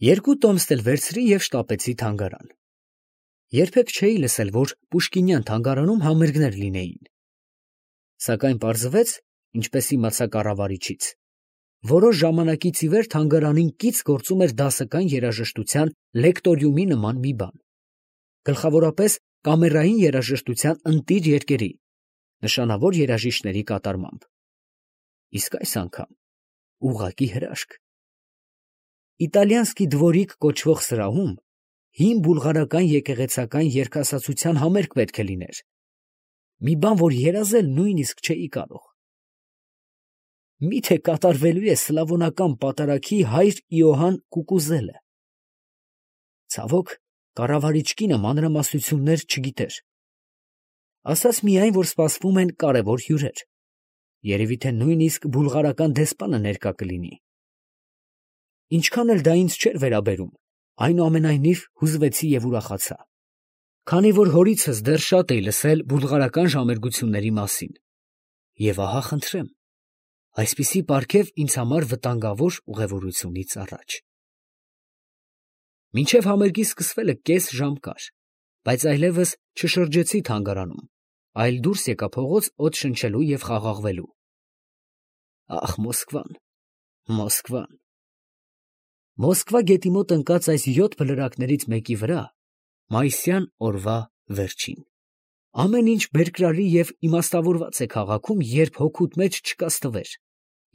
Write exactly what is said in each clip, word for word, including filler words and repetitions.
Երկու տոմս էլ վերցրի և շտապեցի թանգարան։ Երբեք չէի լսել, որ Պուշկինյան թանգարանում համերգներ լինեին։ Սակայն պարզվեց, ինչպես իմացա կառավարիչից, որոշ ժամանակից ի վեր թանգարանին կից գործում էր դասական երաժշտության լեկտորիումի նման մի բան, գլխավորապես կամերային երաժշտության ընտիր երկերի, նշանավոր երաժիշտների կատարմամբ։ Իսկ այս անգամ ուղղակի հրաշք։ Իտալյանսկի դվորիկ կոչվող սրահում հին բուլղարական եկեղեցական երգասացության համերգ պետք է լիներ, մի բան, որ երազել նույնիսկ չէի կարող։ Մի՞թե կատարվելու է սլավոնական պատարագի հայր Իոհան Կուկուզելը։ Ցավոք, կառավարիչ կինը մանրամասնություններ չգիտեր, ասաց միայն, որ սպասվում են կարևոր հյուրեր, երևի թե նույնիսկ բուլղարական դեսպանը ներկա կլինի։ Ինչքան էլ դա ինձ չէր վերաբերում, այնուամենայնիվ հուզվեցի և ուրախացա, քանի որ հորիցս դեռ շատ էի լսել բուլղարական ժամերգությունների մասին, և ահա խնդրեմ, այսպիսի պարգև ինձ համար վտանգավոր ուղևորությունից առաջ։ Մինչև համերգի սկսվելը կես ժամ կար, բայց այլևս չշրջեցի թանգարանում, այլ դուրս եկա փողոց օդ շնչելու և խաղաղվելու։ Ախ, Մոսկվան, Մոսկվան… Մոսկվա գետի մոտ ընկած այս յոթ բլրակներից մեկի վրա մայիսյան օրվա վերջին… Ամեն ինչ բերկրալի և իմաստավորված է քաղաքում, երբ հոգուդ մեջ չկա ստվեր,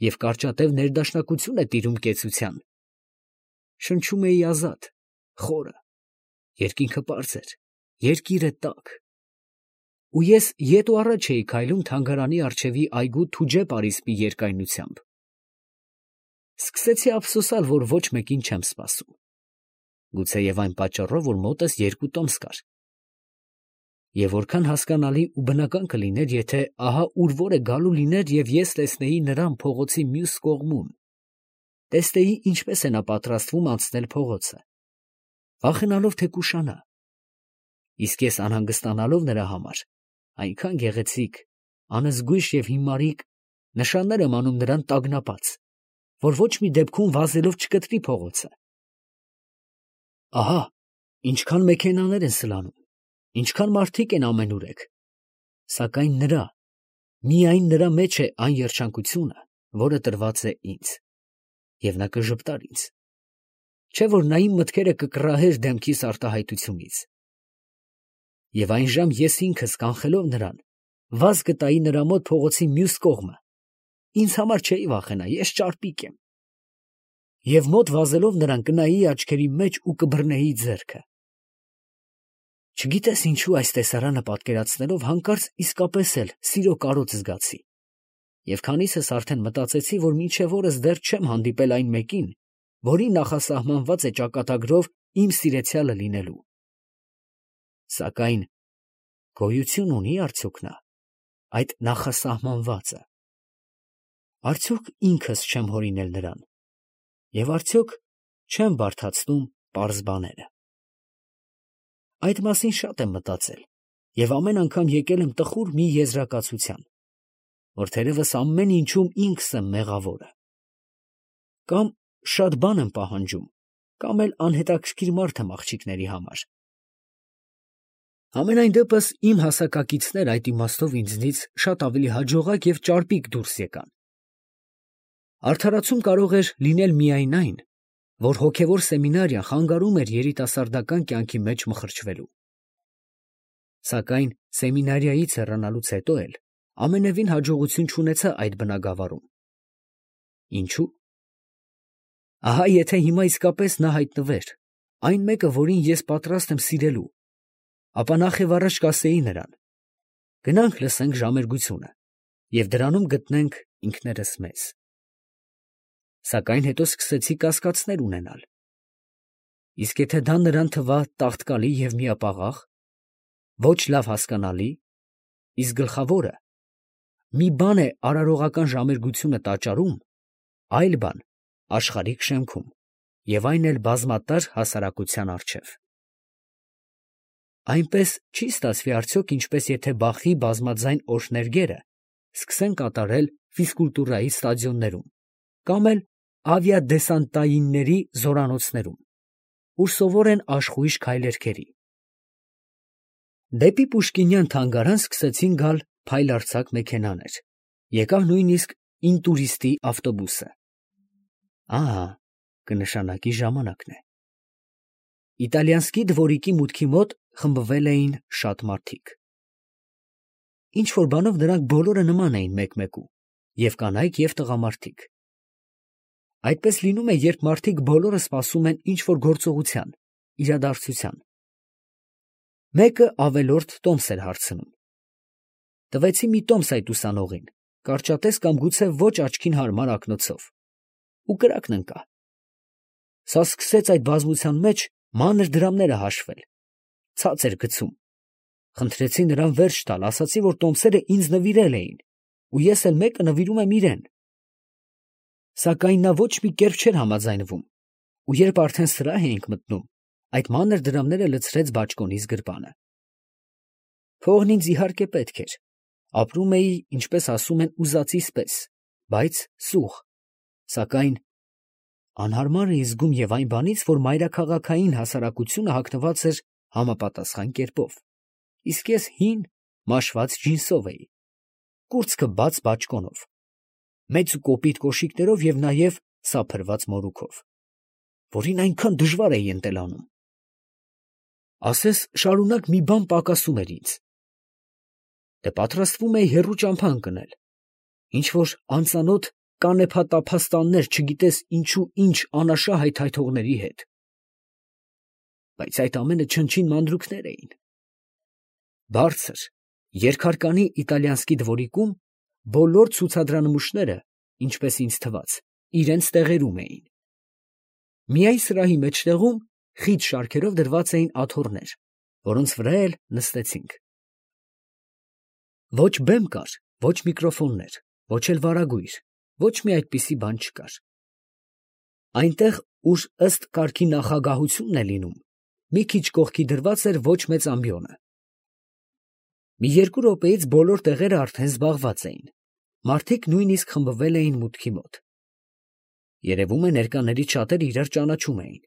և կարճատև ներդաշնակություն է տիրում կեցության։ Շնչում էի ազատ, խորը, երկինքը պարզ էր, երկիրը տաք… Ու ես ետ ու առաջ էի քայլում թանգարանի առջևի այգու Թուջե պարիսպի երկայնությամբ… Սկսեցի ափսոսալ, որ ոչ մեկին չեմ սպասում… Գուցեև այն պատճառով, որ մոտս երկու տոմս կար… Եվ որքան հասկանալի ու բնական կլիներ, եթե ահա ուր որ է գալու լիներ և ես տեսնեի նրան փողոցի մյուս կողմում, տեսնեի, ինչպես է նա պատրաստվում անցնել փողոցը, վախենալով, թե կուշանա… Իսկ ես անհանգստանալով նրա համար, այնքան գեղեցիկ, անզգույշ և հիմարիկ նշաններ եմ անում նրան տագնապած, որ ոչ մի դեպքում վազելով չկտրի փողոցը… Ահա, ինչքան մեքենաներ են սլանում, ինչքան մարդիկ են ամենուրեք… Սակայն նրա, միայն նրա մեջ է այն երջանկությունը, որը տրված է ինձ… Եվ նա կժպտար ինձ… Չէ՞ որ նա իմ մտքերը կկռահեր դեմքիս արտահայտությունից… Եվ այնժամ ես ինքս, կանխելով նրան, վազ կտայի նրա մոտ փողոցի մյուս կողմը… Ինձ համար չէի վախենա, ես ճարպիկ եմ… Եվ մոտ վազելով նրան կնայեի աչքերի մեջ ու կբռնեի ձեռքը… Չգիտես ինչու այս տեսարանը պատկերացնելով հանկարծ իսկապես էլ սիրո կարոտ զգացի… Եվ քանիսս արդեն մտածեցի, որ մինչև օրս դեռ չեմ հանդիպել այն մեկին, որին նախասահմանված է ճակատագրով իմ սիրեցյալը լինելու… Սակայն գոյություն ունի՞ արդյոք նա, այդ նախասահմանվածը… Արդյոք ինքս չեմ հորինել նրան… Եվ արդյոք չեմ բարդացնում պարզ բաները… Այդ մասին շատ եմ մտածել և ամեն անգամ եկել եմ տխուր մի եզրակացության, որ թերևս ամեն ինչում ինքս եմ մեղավորը… Կամ շատ բան եմ պահանջում, կամ էլ անհետաքրքիր մարդ եմ աղջիկների համար… Համենայն դեպս իմ հասակակիցներ այդ իմաստով ինձնից շատ ավելի հաջողակ և ճարպիկ դուրս եկան… Արդարացում կարող էր լինել միայն այն, որ հոգևոր սեմինարիան խանգարում էր երիտասարդական կյանքի մեջ մխրճվելու… Սակայն սեմինարիայից հեռանալուց հետո էլ ամենևին հաջողություն չունեցա այդ բնագավառում… Ինչո՞ւ… Ահա եթե հիմա իսկապես նա հայտնվեր, այն մեկը, որին ես պատրաստ եմ սիրելու, ապա նախևառաջ կասեի նրան. գնանք լսենք ժամերգությունը և դրանում գտնենք ինքներս մեզ… Սակայն հետո սկսեցի կասկածներ ունենալ… Իսկ եթե դա նրան թվա տաղտկալի և միապաղաղ, ոչ լավ հասկանալի, իսկ գլխավորը, մի բան է արարողական ժամերգությունը տաճարում, այլ բան աշխարհիկ շեմքում և այն էլ բազմատար հասարակության առջև… Այնպես չի՞ ստացվի արդյոք, ինչպես եթե Բախի բազմաձայն օրհներգերը սկսեն կատարել ֆիզկուլտուրայի ստադիոններում կամ էլ ավիադեսանտայինների զորանոցներում… ուր սովոր են աշխույժ քայլերքերի։ Դեպի Պուշկինյան թանգարան սկսեցին գալ փայլարձակ մեքենաներ, եկավ նույնիսկ ինտուրիստի ավտոբուսը։ Ահա, կնշանակի ժամանակն է։ Իտալիանսկի դվորիկի մուտքի մոտ խմբվել էին շատ մարդիկ։ Ինչ որ բանով նրանք բոլորը նման էին մեկ֊մեկու, և կանայք, և տղամարդիկ։ Այդպես լինում է, երբ մարդիկ բոլորը սպասում են ինչ-որ գործողության, իրադարձության։ Մեկը ավելորդ տոմս էր հարցնում։ Տվեցի մի տոմս այդ ուսանողին, կարճատես կամ գուցե ոչ աչքին հարմար ակնոցով, ու կրակն ընկա։ Սա սկսեց այդ բազմության մեջ մանր դրամները հաշվել, ցած էր գցում։ Խնդրեցի նրան վերջ տալ, ասացի, որ տոմսերը ինձ նվիրել էին, ու ես էլ մեկը նվիրում եմ իրեն։ Սակայն նա ոչ մի կերպ չէր համաձայնվում, ու երբ արդեն սրահ էինք մտնում, այդ մանր դրամները լցրեց բաճկոնիս գրպանը։ Փողն ինձ իհարկե պետք էր, ապրում էի, ինչպես ասում են, ուզածիս պես, բայց սուղ, սակայն անհարմար էի զգում և այն բանից, որ մայրաքաղաքային հասարակությունը հագնված էր համապատասխան կերպով, իսկ ես հին, մաշված ջինսով էի, կուրծքը բաց բաճկոնով, մեծ ու կոպիտ կոշիկներով և նաև սափրված մորուքով, որին այնքան դժվար էի ընտելանում։ Ասես շարունակ մի բան պակասում էր ինձ։ Դե պատրաստվում էի հեռու ճամփա ընկնել, ինչ-որ անծանոթ կանեփա֊տափաստաններ, չգիտես ինչու ինչ անաշա հայթայթողների հետ։ Բայց այդ ամենը չնչին մանրուքներ էին։ Բարձր, երկհարկանի իտալիանսկի դվորիկում բոլոր ցուցադրանմուշները, ինչպես ինձ թվաց, իրենց տեղերում էին։ Միայն սրահի մեջտեղում խիտ շարքերով դրված էին աթոռներ, որոնց վրա էլ նստեցինք։ Ոչ բեմ կար, ոչ միկրոֆոններ, ոչ էլ վարագույր, ոչ մի այդպիսի բան չկար։ Այնտեղ, ուր ըստ կարգի նախագահությունն է լինում, մի քիչ կողքի դրված էր ոչ մեծ ամբիոնը։ Մի երկու րոպեից բոլոր տեղերը արդեն զբաղված էին, մարդիկ նույնիսկ խմբվել էին մուտքի մոտ։ Երևում է, ներկաներից շատերը իրար ճանաչում էին։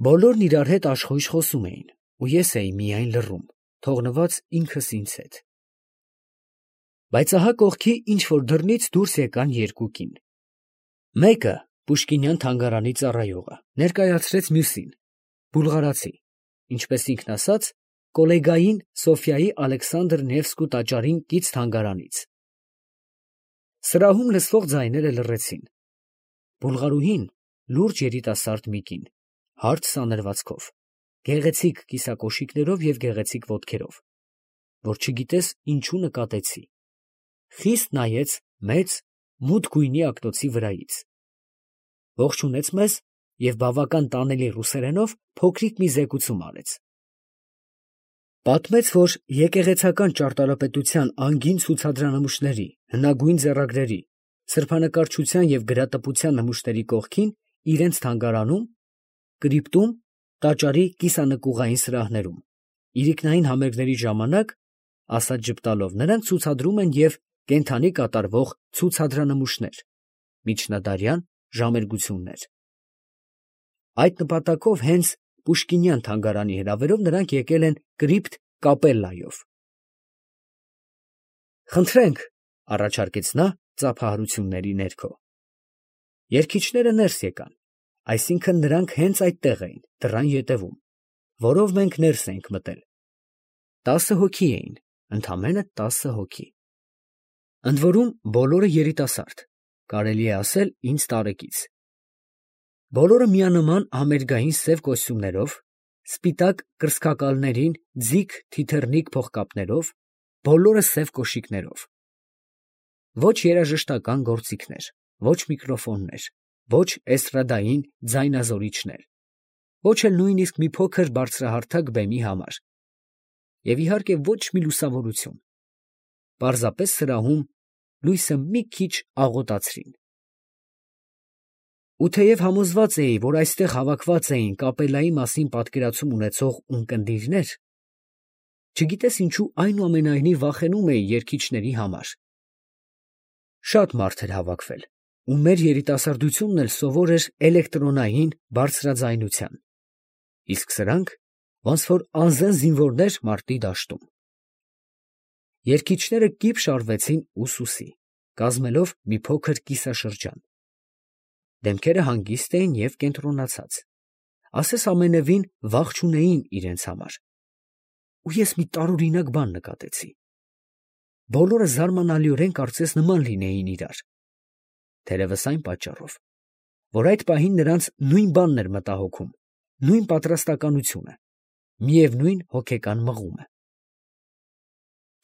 Բոլորն իրար հետ աշխույժ խոսում էին, ու ես էի միայն լռում, թողնված ինքս ինձ հետ։ Բայց ահա կողքի ինչ-որ դռնից դուրս եկան երկու կին։ Մեկը, Պուշկինյան թանգարանի ծառայողը, ներկայացրեց մյուսին, բուլղարացի, ինչպես ինքն ասաց, կոլեգային Սոֆիայի Ալեքսանդր Նևսկու տաճարին կից թանգարանից։ Սրահում լսվող ձայները լռեցին։ Բուլղարուհին լուրջ երիտասարդ մի կին, հարթ սանրվածքով, գեղեցիկ կիսակոշիկներով և գեղեցիկ ոտքերով, որ չգիտես ինչու նկատեցի, խիստ նայեց մեծ, մութ գույնի ակնոցի վրայից, ողջունեց մեզ և բավական տանելի ռուսերենով փոքրիկ մի զեկուցում արեց։ Պատմեց, որ եկեղեցական ճարտարապետության անգին ցուցադրանմուշների, հնագույն ձեռագրերի, սրբանկարչության և գրատպության նմուշների կողքին իրենց թանգարանում, կրիպտում, տաճարի կիսանկյունային սրահներում, իրիկնային համերգների ժամանակ, ասած ժպտալով, նրանք ցուցադրում են և կենդանի կատարվող ցուցադրանմուշներ, միջնադարյան ժամերգություններ։ Այդ նպատակով հենց Պուշկինյան թանգարանի հրավերով նրանք եկել են կրիպտ կապելլայով։ Խնդրենք, առաջարկեց նա ծափահարությունների ներքո։ Երգիչները ներս եկան, այսինքն նրանք հենց այդտեղ էին, դռան ետևում, որով մենք ներս էինք մտել։ Տասը հոգի էին, ընդամենը տասը հոգի։ Ընդ որում բոլորը երիտասարդ, կարելի է ասել ինձ տարեկից։ Բոլորը միանման համերգային սև կոստյումներով, սպիտակ կրծքակալներին ձիգ թիթեռնիկ փողկապներով, բոլորը սև կոշիկներով։ Ոչ երաժշտական գործիքներ, ոչ միկրոֆոններ, ոչ էստրադային ձայնազորիչներ, ոչ էլ նույնիսկ մի փոքր բարձրահարթակ բեմի համար, և իհարկե ոչ մի լուսավորություն, պարզապես սրահում լույսը մի քիչ աղոտացրին։ Ու թեև համոզված էի, որ այստեղ հավաքված էին կապելլայի մասին պատկերացում ունեցող ունկնդիրներ, չգիտես ինչու այնուամենայնիվ վախենում էի երգիչների համար։ Շատ մարդ էր հավաքվել, ու մեր երիտասարդությունն էլ սովոր էր էլեկտրոնային բարձրաձայնության, իսկ սրանք ոնց որ անզեն զինվորներ մարտի դաշտում։ Երգիչները կիպ շարվեցին ուսուսի, կազմելով մի փոքր կիսաշրջան։ Դեմքերը հանգիստ էին և կենտրոնացած, ասես ամենևին վախ չունեին իրենց համար։ Ու ես մի տարօրինակ բան նկատեցի. բոլորը զարմանալիորեն կարծես նման լինեին իրար, թերևս այն պատճառով, որ այդ պահին նրանց նույն բանն էր մտահոգում, նույն պատրաստակամությունը, միևնույն հոգեկան մղումը։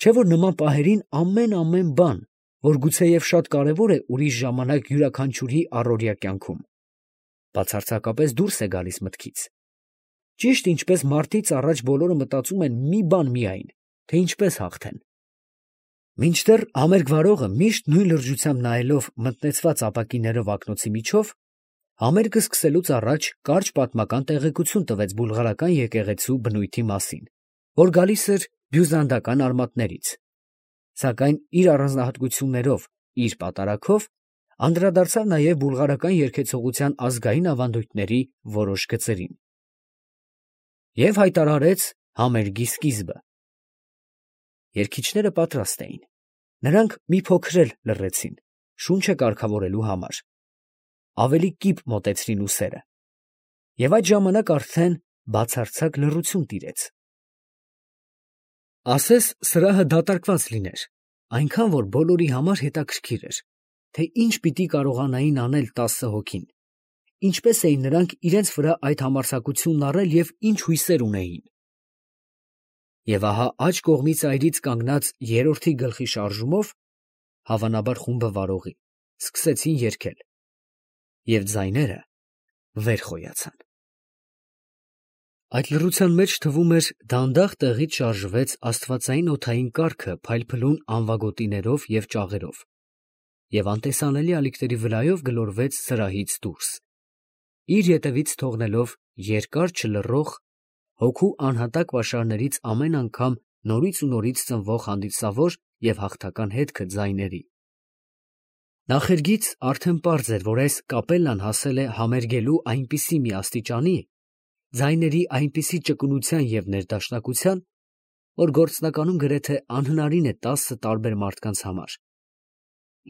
Չէ՞ որ նման պահերին ամեն֊ամեն բան, որ գուցեև շատ կարևոր է ուրիշ ժամանակ յուրաքանչյուրի առօրյա կյանքում, բացարձակապես դուրս է գալիս մտքից, ճիշտ ինչպես մարտից առաջ բոլորը մտածում են մի բան միայն, թե ինչպես հաղթեն։ Մինչդեռ համերգ վարողը միշտ նույն լրջությամբ նայելով մտնեցված ապակիներով ակնոցի միջով, համերգը սկսելուց առաջ կարճ պատմական տեղեկություն տվեց բուլղարական եկեղեցու բնույթի մասին, որ գալիս էր բյուզանդական արմատներից, սակայն իր առանձնահատկություններով, իր պատարագով անդրադարձավ նաև բուլղարական երգեցողության ազգային ավանդույթների որոշ գծերին և հայտարարեց համերգի սկիզբը։ Երգիչները պատրաստ էին, նրանք մի փոքր էլ լռեցին, շունչը կարգավորելու համար, ավելի կիպ մոտեցրին ուսերը, և այդ ժամանակ արդեն բացարձակ լռություն տիրեց։ Ասես սրահը դատարկված լիներ, այնքան որ բոլորի համար հետաքրքիր էր, թե ինչ պիտի կարողանային անել տասը հոգին, ինչպես էին նրանք իրենց վրա այդ համարձակությունն առել և ինչ հույսեր ունեին։ Եվ ահա աջ կողմի ծայրից կանգնած երրորդի գլխի շարժումով, հավանաբար խումբը վարողի, սկսեցին երգել, և ձայները վեր խոյացան։ Այդ լռության մեջ թվում էր դանդաղ տեղից շարժվեց աստվածային օդային կառքը փայլփլուն անվագոտիներով և ճաղերով, և անտեսանելի ալիքների վրայով գլորվեց սրահից դուրս, իր ետևից թողնելով երկար չլռող, հոգու անհատակ պաշարներից ամեն անգամ նորից ու նորից ծնվող հանդիսավոր և հաղթական հետքը ձայների։ Նախերգից արդեն պարզ էր, որ այս կապելլան հասել է համերգելու այնպիսի մի աստիճանի, ձայների այնպիսի ճկունության և ներդաշնակության, որ գործնականում գրեթե անհնարին է տասը տարբեր մարդկանց համար,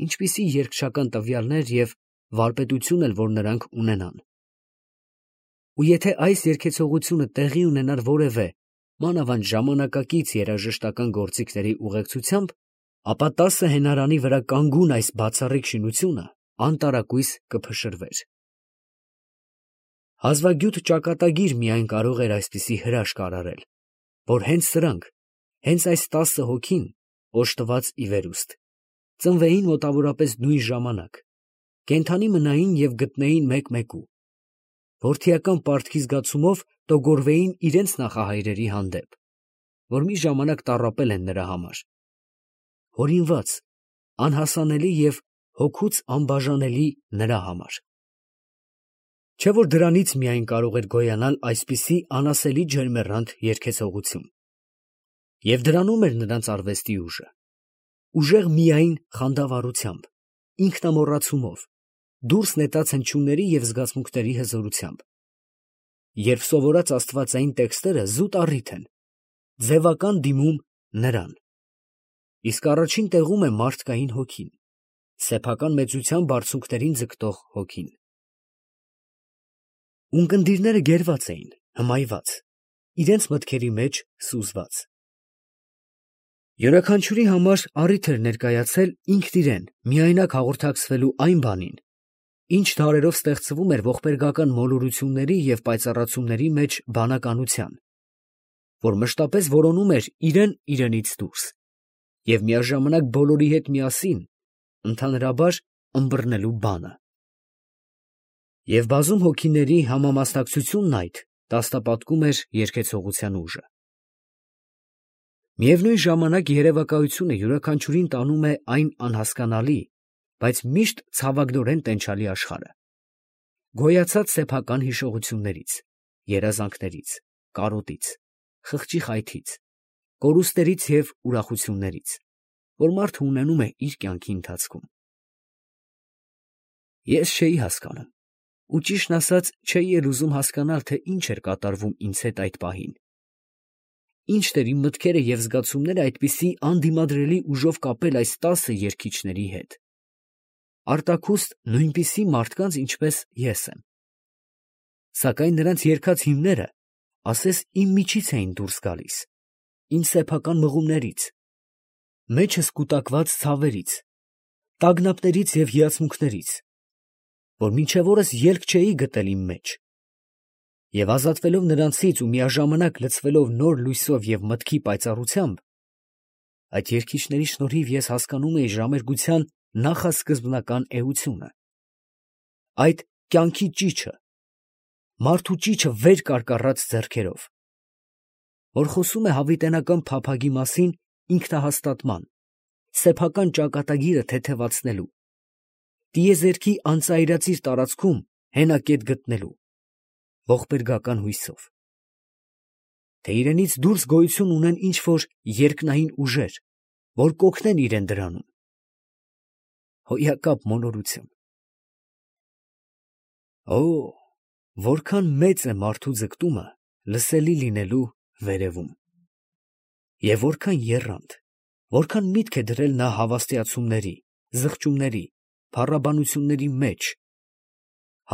ինչպիսի երգչական տվյալներ և վարպետություն էլ որ նրանք ունենան։ Ու եթե այս երգեցողությունը տեղի ունենար որևէ, մանավանդ ժամանակակից երաժշտական գործիքների ուղեկցությամբ, ապա տասը հենարանի վրա կանգուն այս բացառիկ շինությունը անտարակույս կփշրվեր։ Հազվագյուտ ճակատագիր միայն կարող էր այսպիսի հրաշք արարել, որ հենց սրանք, հենց այս տասը հոգին, օժտված ի վերուստ, ծնվեին մոտավորապես նույն ժամանակ, կենդանի մնային և գտնեին մեկ֊մեկու, որդիական պարտքի զգացումով տոգորվեին իրենց նախահայրերի հանդեպ, որ մի ժամանակ տառապել են նրա համար, հորինված, անհասանելի և հոգուց անբաժանելի նրա համար։ Չէ՞ որ դրանից միայն կարող էր գոյանալ այսպիսի անասելի ջերմեռանդ երգեցողություն։ Եվ դրանում էր նրանց արվեստի ուժը, ուժեղ միայն խանդավառությամբ, ինքնամոռացումով, դուրս նետած հնչյունների և զգացմունքների հզորությամբ, երբ սովորած աստվածային տեքստերը զուտ առիթ են, ձևական դիմում նրան, իսկ առաջին տեղում է մարդկային հոգին, սեփական մեծության բարձունքներին ձգտող հոգին։ Ունկնդիրները գերված էին, հմայված, իրենց մտքերի մեջ սուզված։ Յուրաքանչյուրի համար առիթ էր ներկայացել ինքն իրան միայնակ հաղորդակցվելու այն բանին, ինչ դարերով ստեղծվում էր ողբերգական մոլորությունների և պայծառացումների մեջ բանականության, որ մշտապես որոնում էր իրան իրենից դուրս և միաժամանակ բոլորի հետ միասին ընդհանրաբար ըմբռնելու բանը։ Եվ բազում հոգիների համամասնակցությունն այդ տաստապատկում էր երգեցողության ուժը։ Միևնույն ժամանակ երևակայությունը յուրաքանչյուրին տանում է այն անհասկանալի, բայց միշտ ցավագնորեն տենչալի աշխարհը, գոյացած սեփական հիշողություններից, երազանքներից, կարոտից, խղճի խայթից, կորուստներից և ուրախություններից, որ մարդը ունենում է իր կյանքի ընթացքում։ Ես չէի հասկանում, ու ճիշտն ասած չէի էլ ուզում հասկանալ, թե ինչ էր կատարվում ինձ հետ այդ պահին. ի՞նչն էր իմ մտքերը և զգացումները այդպիսի անդիմադրելի ուժով կապել այս տասը երգիչների հետ, արտաքուստ նույնպիսի մարդկանց, ինչպես ես եմ. սակայն նրանց երգած հիմները ասես իմ միջից էին դուրս գալիս, իմ սեփական մղումներից, մեջս կուտակված ցավերից, տագնապներից և հիացմունքներից, որ մինչև օրս ելք չէի գտել իմ մեջ, և ազատվելով նրանցից ու միաժամանակ լցվելով նոր լույսով և մտքի պայծառությամբ, այդ երգիչների շնորհիվ ես հասկանում էի ժամերգության նախասկզբնական էությունը, այդ կյանքի ճիչը, մարդու ճիչը վեր կարկառած ձեռքերով, որ խոսում է հավիտենական փափագի մասին ինքնահաստատման, սեփական ճակատագիրը թեթևացնելու, տիեզերքի անծայրածիր տարածքում հենակետ գտնելու, ողբերգական հույսով, թե իրենից դուրս գոյություն ունեն ինչ-որ երկնային ուժեր, որ կօգնեն իրեն դրանում. հոյակապ մոլորություն… Օ՜, որքան մեծ է մարդու ձգտումը լսելի լինելու վերևում… և որքան եռանդ, որքան միտք է դրել նա հավաստիացումների, զղջումների, փառաբանությունների մեջ,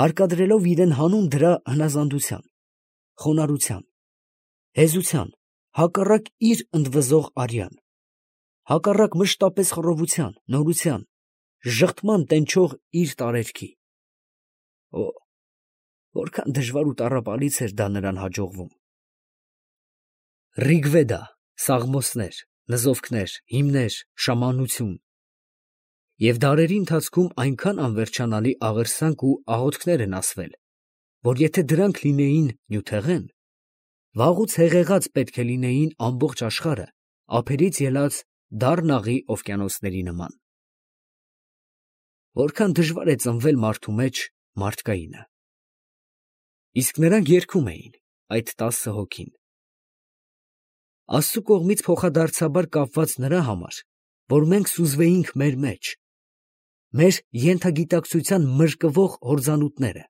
հարկադրելով իրեն հանուն դրա հնազանդության, խոնարհության, հեզության, հակառակ իր ընդվզող արյան, հակառակ մշտապես խռովության, նորության, ժխտման տենչող իր տարերքի… Օ՜, որքան դժվար ու տառապալից էր դա նրան հաջողվում… Ռիգվեդա, սաղմոսներ, նզովքներ, հիմներ, շամանություն… և դարերի ընթացքում այնքան անվերջանալի աղերսանք ու աղոթքներ են ասվել, որ եթե դրանք լինեին նյութեղեն, վաղուց հեղեղած պետք է լինեին ամբողջ աշխարհը ափերից ելած դառն աղի օվկիանոսների նման… Որքան դժվար է ծնվել մարդու մեջ մարդկայինը… Իսկ նրանք երգում էին, այդ տասը հոգին… Աստծու կողմից փոխադարձաբար կապված նրա համար, որ մենք սուզվեինք մեր մեջ, մեր ենթագիտակցության մրկվող հորձանուտները,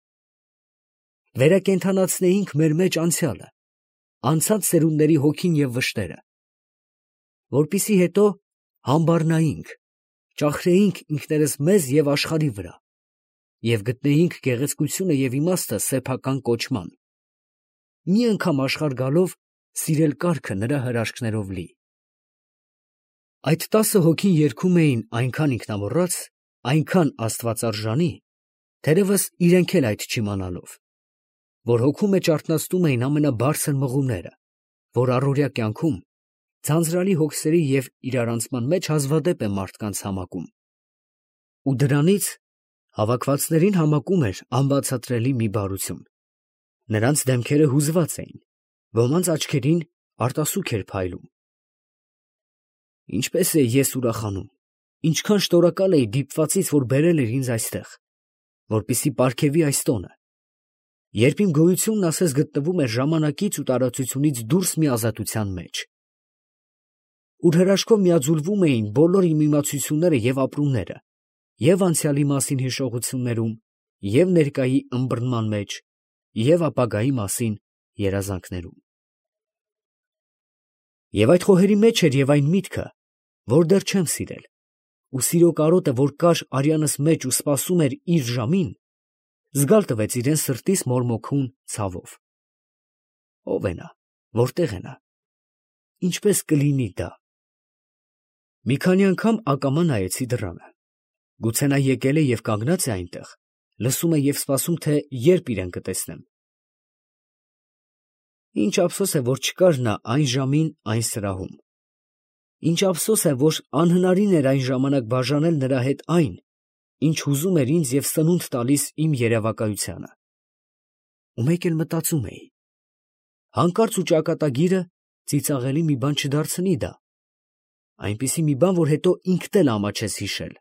վերակենդանացնեինք մեր մեջ անցյալը, անցած սերունդների հոգին և վշտերը, որպեսզի հետո համբառնայինք, ճախրեինք ինքներս մեզ և աշխարհի վրա և գտնեինք գեղեցկությունը և իմաստը սեփական կոչման, մի անգամ աշխարհ գալով սիրել կառքը նրա հրաշքներով լի… Այդ տասը հոգին երգում էին այնքան ինքնամոռաց, այնքան աստվածարժանի, թերևս իրենք էլ այդ չիմանալով, որ հոգու մեջ արթնացնում էին ամենաբարձր մղումները, որ առօրյա կյանքում ձանձրալի հոգսերի և իրարանցման մեջ հազվադեպ է մարդկանց համակում, ու դրանից հավաքվածներին համակում էր անբացատրելի մի բարություն… Նրանց դեմքերը հուզված էին, ոմանց աչքերին արտասուք էր փայլում… Ինչպես էի ես ուրախանում, ինչքան շնորհակալ էի դիպվածից, որ բերել էր ինձ այստեղ, որպեսզի պարգևի այս տոնը, երբ իմ գոյությունն ասես գտնվում էր ժամանակից ու տարածությունից դուրս մի ազատության մեջ, ուր հրաշքով միաձուլվում էին բոլոր իմ իմացությունները և ապրումները և՛ անցյալի մասին հիշողություններում, և՛ ներկայի ըմբռնման մեջ, և՛ ապագայի մասին երազանքներում… Եվ այդ խոհերի մեջ էր և այն միտքը, որ դեռ չեմ սիրել, ու սիրո կարոտը, որ կար արյանս մեջ ու սպասում էր իր ժամին, զգալ տվեց իրան սրտիս մորմոքուն ցավով… Ո՞վ է նա, որտե՞ղ է նա, ինչպե՞ս կլինի դա… Մի քանի անգամ ակամա նայեցի դռանը… Գուցե նա եկել է և կանգնած է այնտեղ, լսում է և սպասում, թե երբ իրան կտեսնեմ… Ինչ ափսոս է, որ չկար նա այն ժամին այն սրահում… Ինչ ափսոս է, որ անհնարին էր այն ժամանակ բաժանել նրա հետ այն, ինչ հուզում էր ինձ և սնունդ տալիս իմ երևակայությանը… Ու մեկ էլ մտածում էի. հանկարծ ու ճակատագիրը ծիծաղելի մի բան չդարձնի դա… այնպիսի մի բան, որ հետո ինքդ էլ ամաչես հիշել…